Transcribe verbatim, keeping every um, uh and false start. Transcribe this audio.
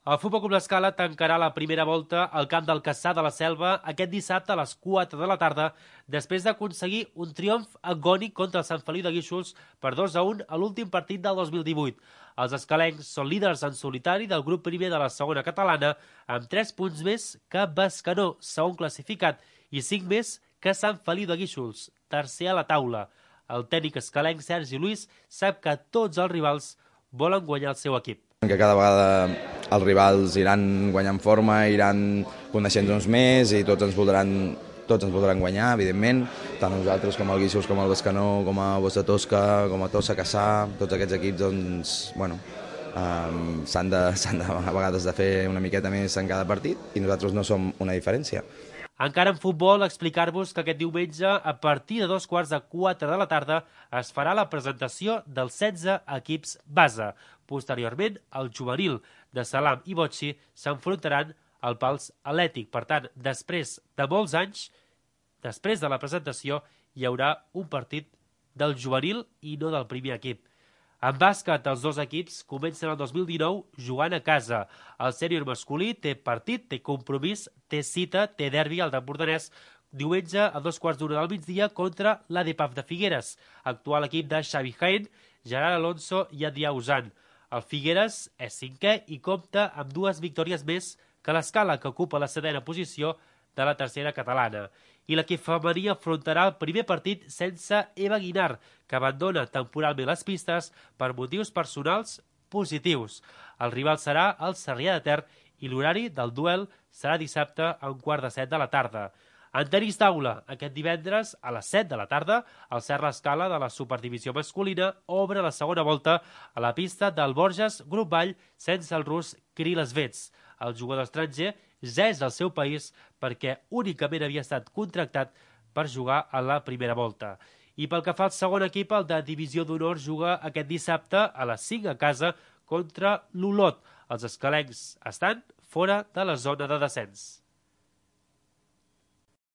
El Futbol Club L'Escala tancarà la primera volta al camp del Cassà de la Selva aquest dissabte a les quatre de la tarda, després d'aconseguir un triomf agònic contra el Sant Feliu de Guíxols per dos a un a l'últim partit del dos mil divuit. Els escalencs són líders en solitari del grup primer de la segona catalana, amb tres punts més que Bescanó, segon classificat, i cinc més que Sant Feliu de Guíxols, tercer a la taula. El tècnic escalenc Sergi Luis sap que tots els rivals volen guanyar el seu equip. Que cada vegada els rivals iran guanyant forma, iran coneixent-nos més i tots ens voldran, tots ens voldran guanyar, evidentment, tant nosaltres com el Guíxols, com el Bescanó, com a Bosch de Tosca, com a Tossa, Cassà, tots aquests equips doncs, bueno, um, s'han de, s'han de, a vegades de fer una miqueta més en cada partit i nosaltres no som una diferència. Encara en futbol, explicar-vos que aquest diumenge, a partir de dos quarts de quatre de la tarda, es farà la presentació dels setze equips base. Posteriorment, el juvenil de Salam i Botxi s'enfrontaran al Pals Atlètic. Per tant, després de molts anys, després de la presentació, hi haurà un partit del juvenil i no del primer equip. En bàsquet, els dos equips comencen el dos mil dinou jugant a casa. El sènior masculí té partit, té compromís, té cita, té derbi al d'Empordanès diumenge a dos quarts d'una del migdia contra l'A D P A F de Figueres, actual equip de Xavi Jaén, Gerard Alonso i Adrià Usan. El Figueres és cinquè i compta amb dues victòries més que l'Escala, que ocupa la setena posició de la tercera catalana. I l'equip femení afrontarà el primer partit sense Eva Guinar, que abandona temporalment les pistes per motius personals positius. El rival serà el Sarrià de Ter i l'horari del duel serà dissabte a un quart de set de la tarda. En tenis taula, aquest divendres a les set de la tarda, el Serra Escala de la Superdivisió masculina obre la segona volta a la pista del Borges Grup Vall sense el rus Kirill Svets. El jugador estranger ja és al seu país perquè únicament havia estat contractat per jugar a la primera volta. I pel que fa al segon equip, el de Divisió d'Honor juga aquest dissabte a les cinc a casa contra l'Olot. Els escalencs estan fora de la zona de descens.